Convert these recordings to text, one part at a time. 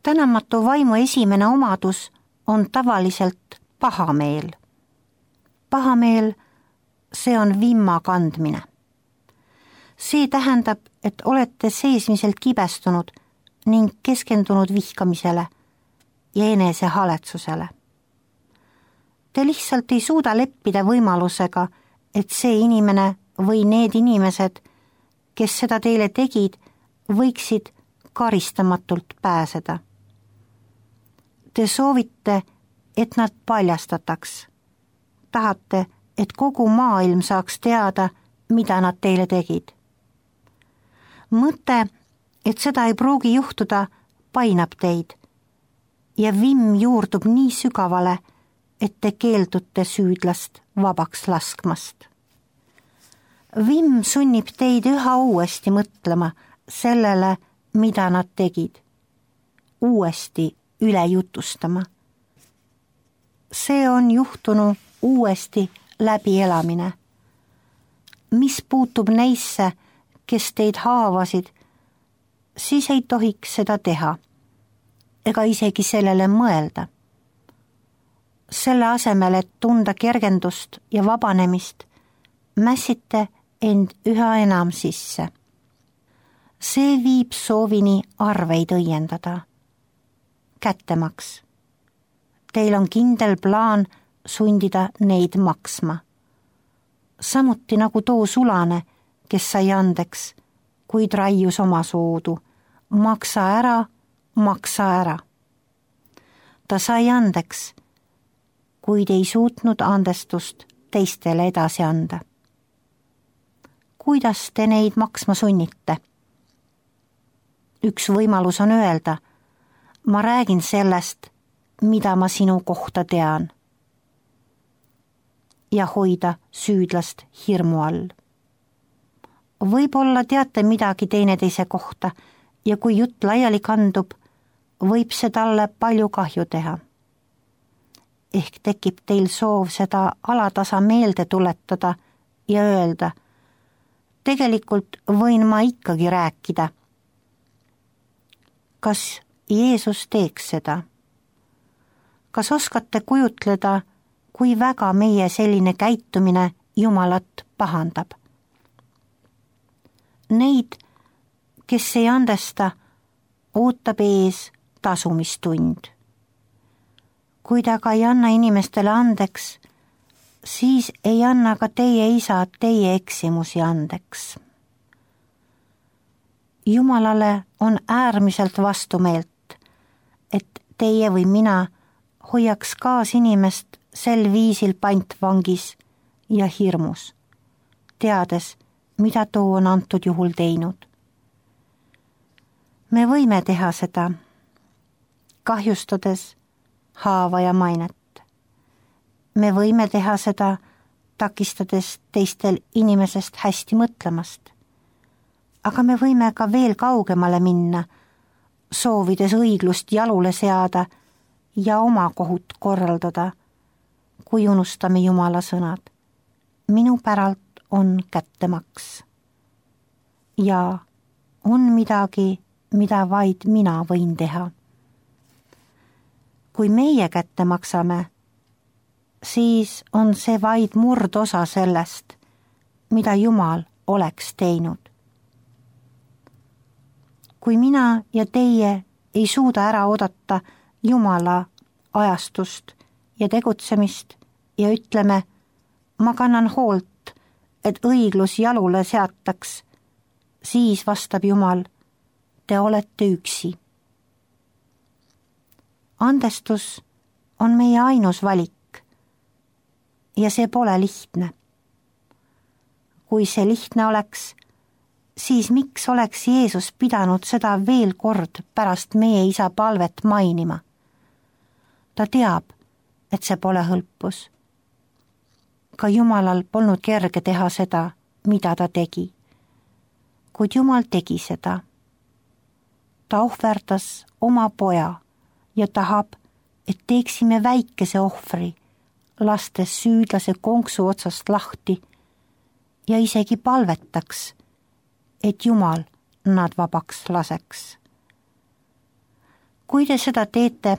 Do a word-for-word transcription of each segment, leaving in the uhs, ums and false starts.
Tänamatu vaimu esimene omadus on tavaliselt pahameel. Pahameel, see on vimma kandmine. See tähendab, et olete seesmiselt kibestunud ning keskendunud vihkamisele ja enese haletsusele. Te lihtsalt ei suuda leppida võimalusega, et see inimene või need inimesed, kes seda teile tegid, võiksid karistamatult pääseda. Te soovite, et nad paljastataks. Tahate, et kogu maailm saaks teada, mida nad teile tegid. Mõte, et seda ei pruugi juhtuda, painab teid ja vimm juurdub nii sügavale, et te keeldute süüdlast vabaks laskmast. Vimm sunnib teid üha uuesti mõtlema sellele, mida nad tegid, uuesti üle jutustama. See on juhtunu uuesti läbi elamine. Mis puutub neisse, kes teid haavasid, siis ei tohiks seda teha, ega isegi sellele mõelda. Selle asemel, et tunda kergendust ja vabanemist, mässite end üha enam sisse. See viib soovini arveid õiendada. Kättemaks. Teil on kindel plaan sundida neid maksma. Samuti nagu too sulane, kes sai andeks, kuid raius oma soodu. Maksa ära, maksa ära. Ta sai andeks, kuid ei suutnud andestust teistele edasi anda. Kuidas te neid maksma sunnite? Üks võimalus on öelda, ma räägin sellest, mida ma sinu kohta tean. Ja hoida süüdlast hirmu all. Võib-olla teate midagi teineteise kohta ja kui jutt laiali kandub, võib see talle palju kahju teha. Ehk tekib teil soov seda alatasa meelde tuletada ja öelda, tegelikult võin ma ikkagi rääkida. Kas Jeesus teeks seda? Kas oskate kujutleda, kui väga meie selline käitumine Jumalat pahandab? Neid, kes ei andesta, ootab ees tasumistund. Kui ta aga ei anna inimestele andeks, siis ei anna ka teie isa teie eksimusi andeks. Jumalale on äärmiselt vastumeelt, et teie või mina hoiaks kaas inimest sel viisil pantvangis ja hirmus, teades, mida too on antud juhul teinud. Me võime teha seda, kahjustades haava ja mainet. Me võime teha seda, takistades teistel inimesest hästi mõtlemast. Aga me võime ka veel kaugemale minna, soovides õiglust jalule seada ja oma kohut korraldada, kui unustame Jumala sõnad. Minu päralt on kättemaks. Ja on midagi, mida vaid mina võin teha. Kui meie kätte maksame, siis on see vaid murdosa sellest, mida Jumal oleks teinud. Kui mina ja teie ei suuda ära oodata Jumala ajastust ja tegutsemist ja ütleme, ma kannan hoolt, et õiglus jalule seataks, siis vastab Jumal, te olete üksi. Andestus on meie ainus valik ja see pole lihtne. Kui see lihtne oleks, siis miks oleks Jeesus pidanud seda veel kord pärast meie isa palvet mainima? Ta teab, et see pole hõlpus. Ka Jumalal polnud kerge teha seda, mida ta tegi. Kuid Jumal tegi seda. Ta ohverdas oma poja ja tahab, et teeksime väikese ohvri, lastes süüdlase konksu otsast lahti ja isegi palvetaks, et Jumal nad vabaks laseks. kui te seda teete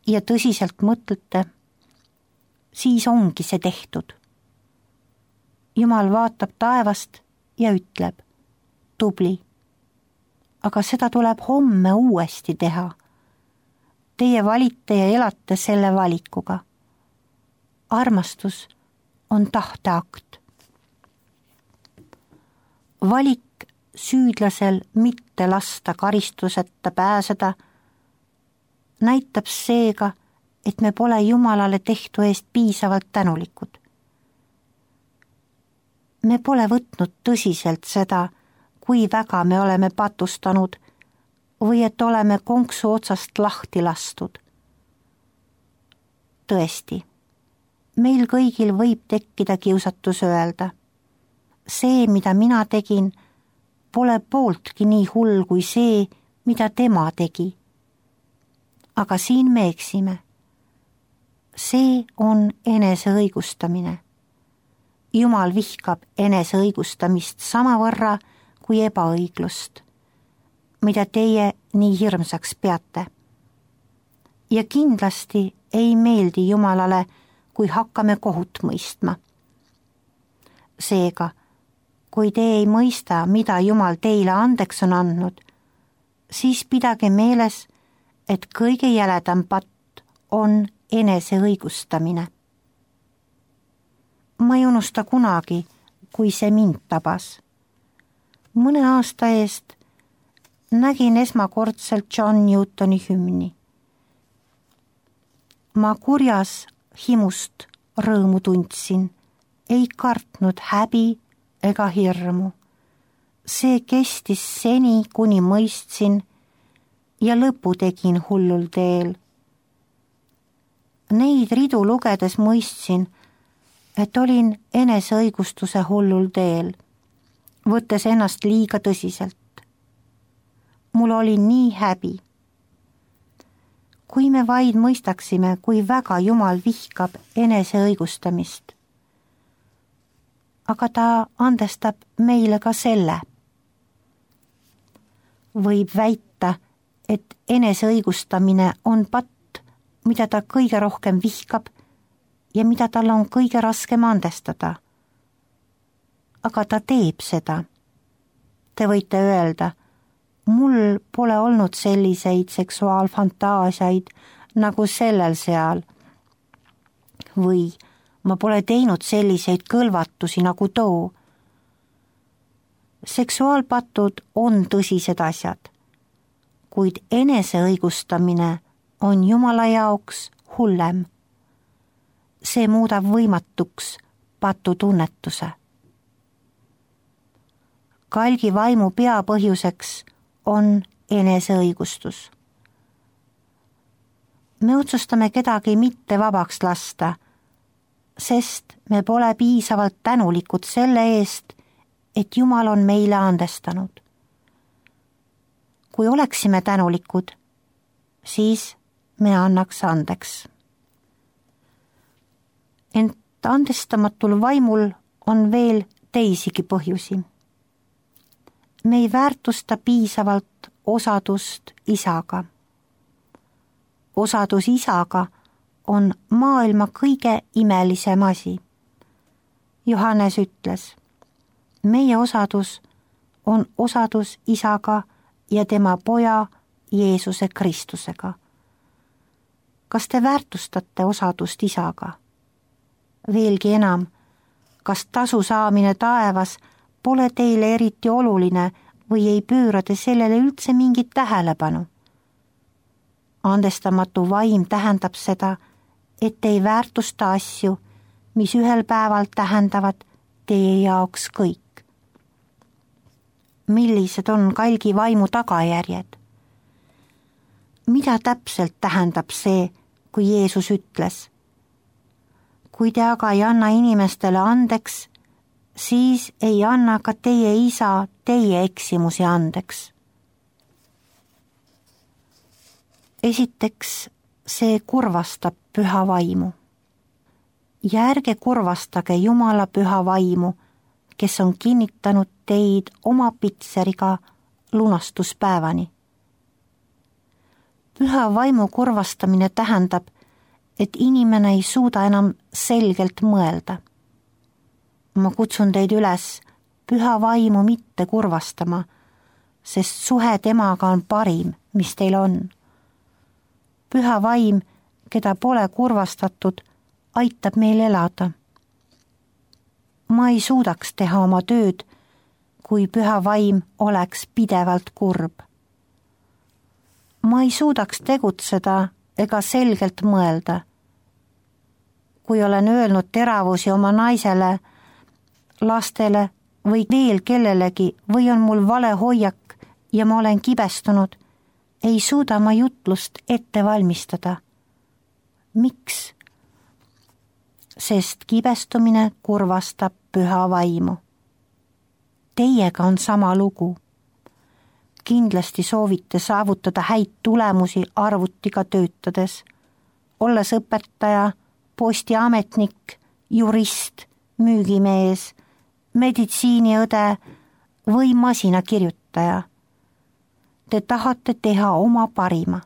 ja tõsiselt mõtlete, siis ongi see tehtud. Jumal vaatab taevast ja ütleb, tubli, aga seda tuleb homme uuesti teha. Teie valite ja elate selle valikuga. Armastus on tahteakt. Valik süüdlasel mitte lasta karistuseta pääseda näitab seega, et me pole Jumalale tehtu eest piisavalt tänulikud. Me pole võtnud tõsiselt seda, kui väga me oleme patustanud või et oleme konksu otsast lahti lastud. Tõesti, meil kõigil võib tekkida kiusatus öelda. See, mida mina tegin, pole pooltki nii hull kui see, mida tema tegi. Aga siin me eksime. See on eneseõigustamine. Jumal vihkab eneseõigustamist samavõrra kui ebaõiglust, mida teie nii hirmsaks peate. Ja kindlasti ei meeldi Jumalale, kui hakkame kohut mõistma. Seega, kui te ei mõista, mida Jumal teile andeks on andnud, siis pidage meeles, et kõige jäledam patt on eneseõigustamine. Ma ei unusta kunagi, kui see mind tabas. Mõne aasta eest nägin esmakordselt John Newtoni hümni. Ma kurjas himust rõõmu tundsin, ei kartnud häbi ega hirmu. See kestis seni, kuni mõistsin ja lõpu tegin hullul teel. Neid ridu lugedes mõistsin, et olin eneseõigustuse hullul teel, võttes ennast liiga tõsiselt. Mul oli nii häbi. Kui me vaid mõistaksime, kui väga Jumal vihkab eneseõigustamist. Aga ta andestab meile ka selle. Võib väita, et eneseõigustamine on patt, mida ta kõige rohkem vihkab ja mida tal on kõige raskem andestada. Aga ta teeb seda. Te võite öelda, mul pole olnud selliseid seksuaalfantaasiaid nagu sellel seal. Või ma pole teinud selliseid kõlvatusi nagu too. Seksuaalpatud on tõsised asjad, kuid eneseõigustamine on Jumala jaoks hullem. See muudab võimatuks patutunnetuse. Kalgi vaimu peapõhjuseks on eneseõigustus. Me otsustame kedagi mitte vabaks lasta, sest me pole piisavalt tänulikud selle eest, et Jumal on meile andestanud. Kui oleksime tänulikud, siis me annaks andeks. Ent andestamatul vaimul on veel teisigi põhjusi. Me ei väärtusta piisavalt osadust isaga. Osadus isaga on maailma kõige imelisem asi. Johannes ütles, meie osadus on osadus isaga ja tema poja Jeesuse Kristusega. Kas te väärtustate osadust isaga? Veelgi enam, kas tasu saamine taevas pole teile eriti oluline või ei pööra te sellele üldse mingit tähelepanu? Andestamatu vaim tähendab seda, et ei väärtusta asju, mis ühel päeval tähendavad teie jaoks kõik. Millised on kalgi vaimu tagajärjed? Mida täpselt tähendab see, kui Jeesus ütles, kui te aga ei anna inimestele andeks, siis ei anna ka teie isa teie eksimusi andeks. Esiteks, see kurvastab püha vaimu. Ja ärge kurvastage Jumala püha vaimu, kes on kinnitanud teid oma pitseriga lunastuspäevani. Püha vaimu kurvastamine tähendab, et inimene ei suuda enam selgelt mõelda. Ma kutsun teid üles püha vaimu mitte kurvastama, sest suhe temaga on parim, mis teil on. Püha vaim, keda pole kurvastatud, aitab meil elada. Ma ei suudaks teha oma tööd, kui püha vaim oleks pidevalt kurb. Ma ei suudaks tegutseda ega selgelt mõelda. Kui olen öelnud teravusi oma naisele, lastele või veel kellelegi või on mul vale hoiak ja ma olen kibestunud, ei suuda ma jutlust ette valmistada. Miks? Sest kibestumine kurvastab püha vaimu. Teiega on sama lugu. Kindlasti soovite saavutada häid tulemusi arvutiga töötades, olles õpetaja, postiametnik, jurist, müügimees, meditsiiniõde või masinakirjutaja. Te tahate teha oma parima.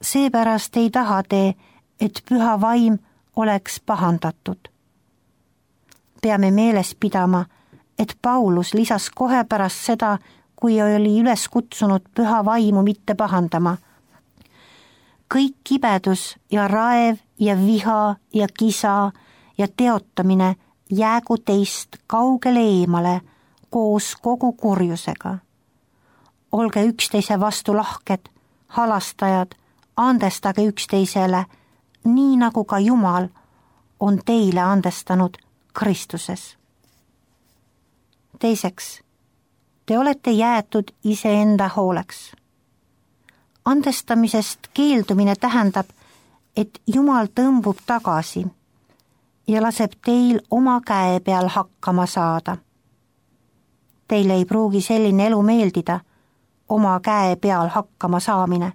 Seepärast ei taha te, et püha vaim oleks pahandatud. Peame meeles pidama, et Paulus lisas kohe pärast seda, kui oli üles kutsunud püha vaimu mitte pahandama. Kõik kibedus ja raev ja viha ja kisa ja teotamine jäägu teist kaugele eemale koos kogu kurjusega. Olge üksteise vastu lahked, halastajad, andestage üksteisele, nii nagu ka Jumal on teile andestanud Kristuses. Teiseks, te olete jäetud iseenda hooleks. Andestamisest keeldumine tähendab, et Jumal tõmbub tagasi ja laseb teil oma käe peal hakkama saada. Teile ei pruugi selline elu meeldida, oma käe peal hakkama saamine.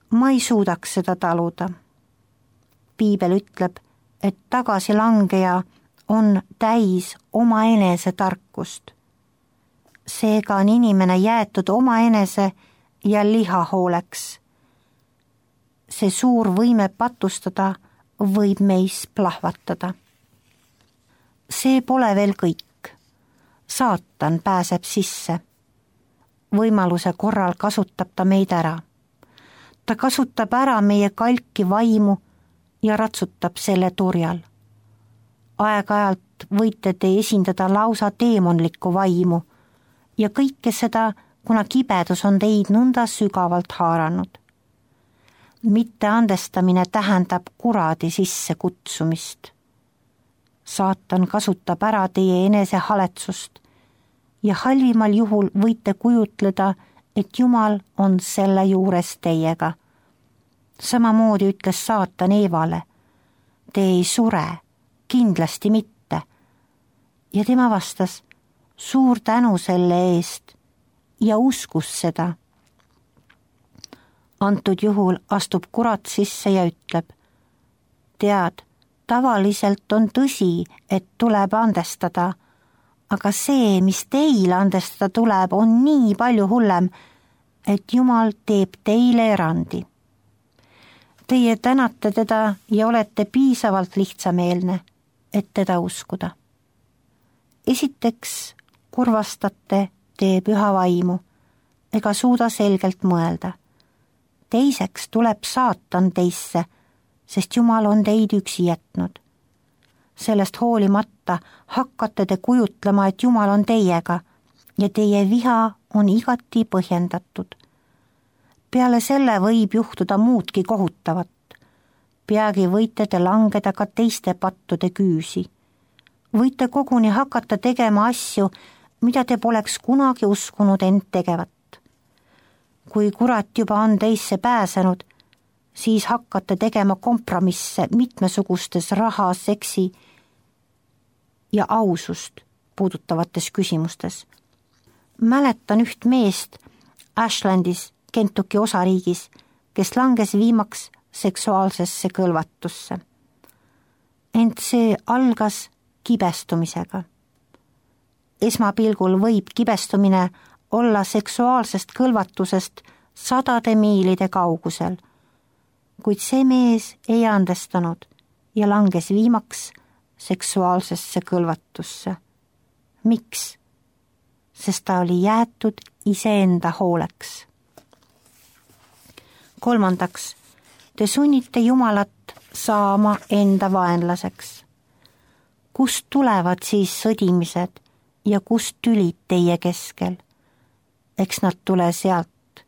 Ma ei suudaks seda taluda. Piibel ütleb, et tagasilangeja on täis omaenese tarkust. Seega on inimene jäetud omaenese ja liha hooleks. See suur võime patustada võib meis plahvatada. See pole veel kõik. Saatan pääseb sisse. Võimaluse korral kasutab ta meid ära. Ta kasutab ära meie kalki vaimu ja ratsutab selle turjal. Aeg-ajalt võite te esindada lausa teemonlikku vaimu ja kõike seda, kuna kibedus on teid nõnda sügavalt haaranud. Mitte andestamine tähendab kuradi sisse kutsumist. Saatan kasutab ära teie enese haletsust ja halvimal juhul võite kujutleda, et Jumal on selle juures teiega. Samamoodi ütles saatan Eevale, te ei sure, kindlasti mitte. Ja tema vastas, suur tänu selle eest ja uskus seda. Antud juhul astub kurat sisse ja ütleb, tead, tavaliselt on tõsi, et tuleb andestada, aga see, mis teile andestada tuleb, on nii palju hullem, et Jumal teeb teile erandi. Teie tänate teda ja olete piisavalt lihtsameelne, et teda uskuda. Esiteks kurvastate te püha vaimu ega suuda selgelt mõelda. Teiseks tuleb saatan teisse, sest Jumal on teid üksi jätnud. Sellest hoolimata hakkate te kujutlema, et Jumal on teiega ja teie viha on igati põhjendatud. Peale selle võib juhtuda muudki kohutavat. Peagi võite te langeda ka teiste pattude küüsi. Võite koguni hakata tegema asju, mida te poleks kunagi uskunud end tegevat. Kui kurat juba on teisse pääsenud, siis hakkate tegema kompromisse mitmesugustes raha, seksi ja ausust puudutavates küsimustes. Mäletan üht meest Ashlandis, Kentucky osariigis, kes langes viimaks seksuaalsesse kõlvatusse. Ent see algas kibestumisega. Esmapilgul võib kibestumine olla seksuaalsest kõlvatusest sadade miilide kaugusel, kuid see mees ei andestanud ja langes viimaks seksuaalsesse kõlvatusse. Miks? Sest ta oli jäetud iseenda hooleks. Kolmandaks, te sunnite Jumalat saama enda vaenlaseks. Kust tulevad siis sõdimised ja kust tülid teie keskel? Eks nad tule sealt,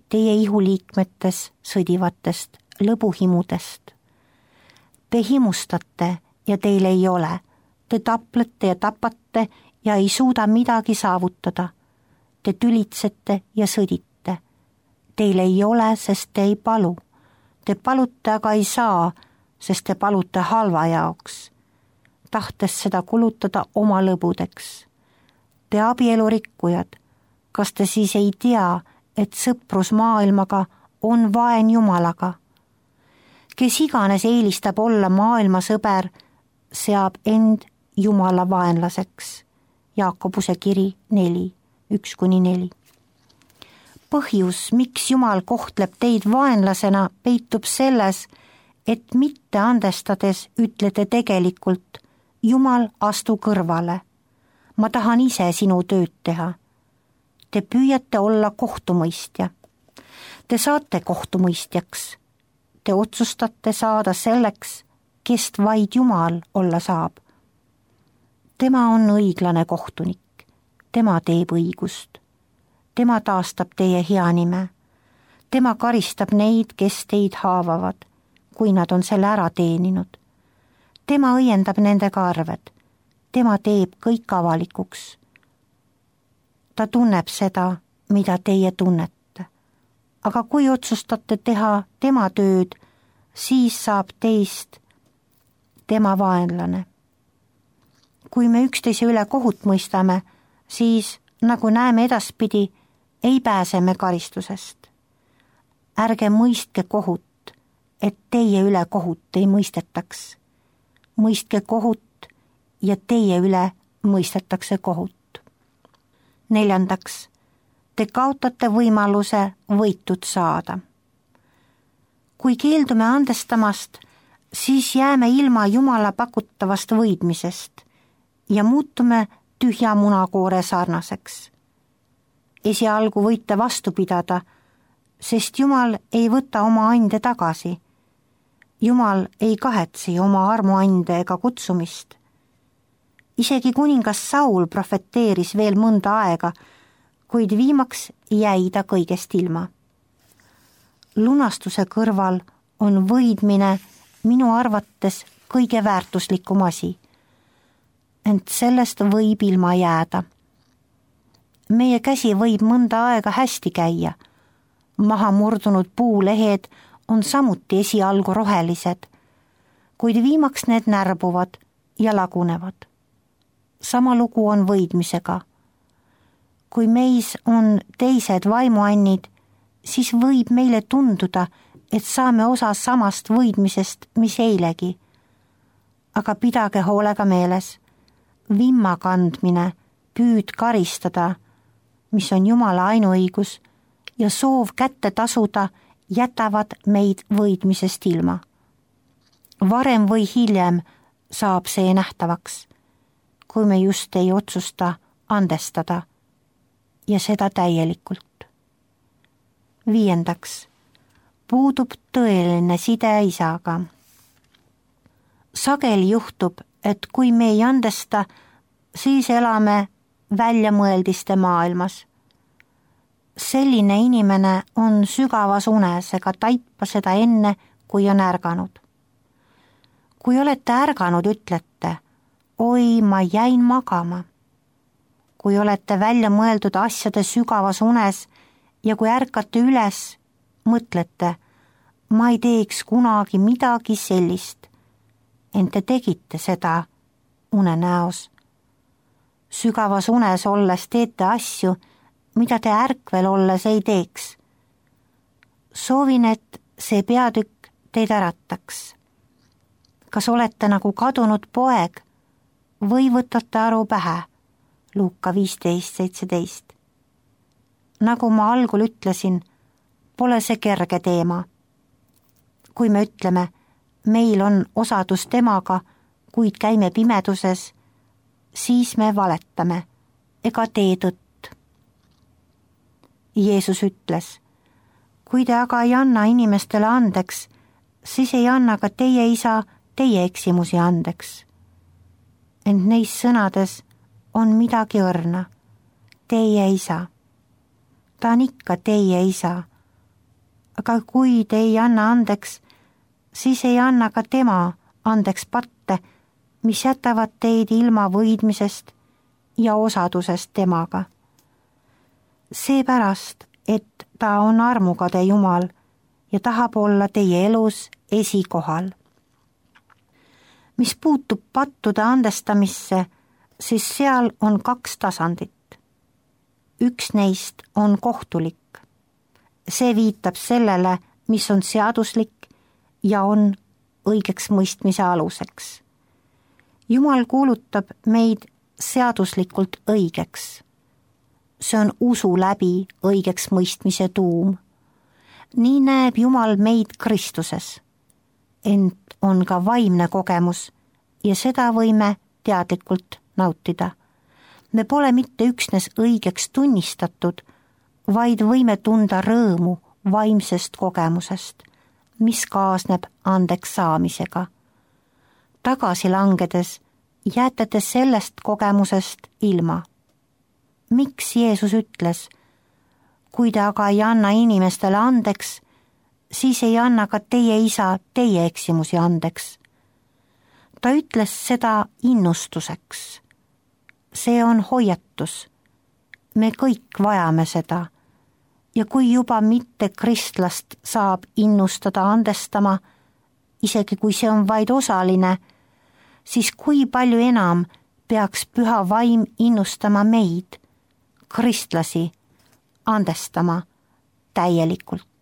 teie ihuliikmetes sõdivatest lõbuhimudest. Te himustate ja teil ei ole, te taplete ja tapate ja ei suuda midagi saavutada. Te tülitsete ja sõdite. Teil ei ole, sest te ei palu. Te palute, aga ei saa, sest te palute halva jaoks, tahtes seda kulutada oma lõbudeks. Te abielurikkujad, kas te siis ei tea, et sõprus maailmaga on vaen Jumalaga? Kes iganes eelistab olla maailma sõber, seab end Jumala vaenlaseks. Jaakobuse kiri neli, üks kuni neli. Põhjus, miks Jumal kohtleb teid vaenlasena, peitub selles, et mitte andestades ütlete tegelikult, Jumal, astu kõrvale. Ma tahan ise sinu tööd teha. Te püüate olla kohtumõistja. Te saate kohtumõistjaks. Te otsustate saada selleks, kest vaid Jumal olla saab. Tema on õiglane kohtunik. Tema teeb õigust. Tema taastab teie hea nime. Tema karistab neid, kes teid haavavad, kui nad on selle ära teeninud. Tema õiendab nendega arved. Tema teeb kõik avalikuks. Ta tunneb seda, mida teie tunnete. Aga kui otsustate teha tema tööd, siis saab teist tema vaenlane. Kui me üksteise üle kohut mõistame, siis, nagu näeme edaspidi, ei pääse me karistusest. Ärge mõistke kohut, et teie üle kohut ei mõistetaks. Mõistke kohut ja teie üle mõistetakse kohut. Neljandaks, te kaotate võimaluse võitud saada. Kui keeldume andestamast, siis jääme ilma Jumala pakutavast võidmisest ja muutume tühja munakoore sarnaseks. Esialgu võite vastu pidada, sest Jumal ei võta oma ande tagasi. Jumal ei kahetsi oma armuande ega kutsumist. Isegi kuningas Saul profeteeris veel mõnda aega, kuid viimaks jäi ta kõigest ilma. Lunastuse kõrval on võidmine minu arvates kõige väärtuslikum asi, ent sellest võib ilma jääda. Meie käsi võib mõnda aega hästi käia. Maha murdunud puulehed on samuti esialgu rohelised, kuid viimaks need närbuvad ja lagunevad. Sama lugu on võidmisega. Kui meis on teised vaimuannid, siis võib meile tunduda, et saame osa samast võidmisest, mis eilegi. Aga pidage hoolega meeles, vimma kandmine, püüd karistada, mis on Jumala ainuõigus, ja soov kätte tasuda jätavad meid võidmisest ilma. Varem või hiljem saab see nähtavaks, kui me just ei otsusta andestada ja seda täielikult. Viiendaks, puudub tõeline side isaga. Sageli juhtub, et kui me ei andesta, siis elame väljamõeldiste maailmas. Selline inimene on sügavas unes ega taipa seda enne, kui on ärganud. Kui olete ärganud, ütlete, oi, ma jäin magama. Kui olete välja mõeldud asjade sügavas unes ja kui ärkate üles, mõtlete, ma ei teeks kunagi midagi sellist, ent te tegite seda unenäos. Sügavas unes olles teete asju, mida te ärkvel olles ei teeks. Soovin, et see peatükk teid ärataks. Kas olete nagu kadunud poeg või võtate aru pähe? Luuka viisteist seitseteist. Nagu ma algul ütlesin, pole see kerge teema. Kui me ütleme, meil on osadus temaga, kuid käime pimeduses, siis me valetame ega tee tõtt. Jeesus ütles, kui te aga ei anna inimestele andeks, siis ei anna ka teie isa teie eksimusi andeks. Ent neis sõnades on midagi õrna. Teie isa. Ta on ikka teie isa. Aga kui te ei anna andeks, siis ei anna ka tema andeks patte, mis jätavad teid ilma võidmisest ja osadusest temaga. Seepärast, et ta on armukade Jumal ja tahab olla teie elus esikohal. Mis puutub pattude andestamisse, siis seal on kaks tasandit. Üks neist on kohtulik. See viitab sellele, mis on seaduslik ja on õigeks mõistmise aluseks. Jumal kuulutab meid seaduslikult õigeks. See on usu läbi õigeks mõistmise tuum. Nii näeb Jumal meid Kristuses. Ent on ka vaimne kogemus ja seda võime teadlikult nautida. Me pole mitte üksnes õigeks tunnistatud, vaid võime tunda rõõmu vaimsest kogemusest, mis kaasneb andeks saamisega. Tagasi langedes jääte te sellest kogemusest ilma. Miks Jeesus ütles, kui te aga ei anna inimestele andeks, siis ei anna ka teie isa teie eksimusi andeks. Ta ütles seda innustuseks. See on hoiatus. Me kõik vajame seda. Ja kui juba mitte kristlast saab innustada andestama, isegi kui see on vaid osaline, siis kui palju enam peaks püha vaim innustama meid, kristlasi, andestama täielikult.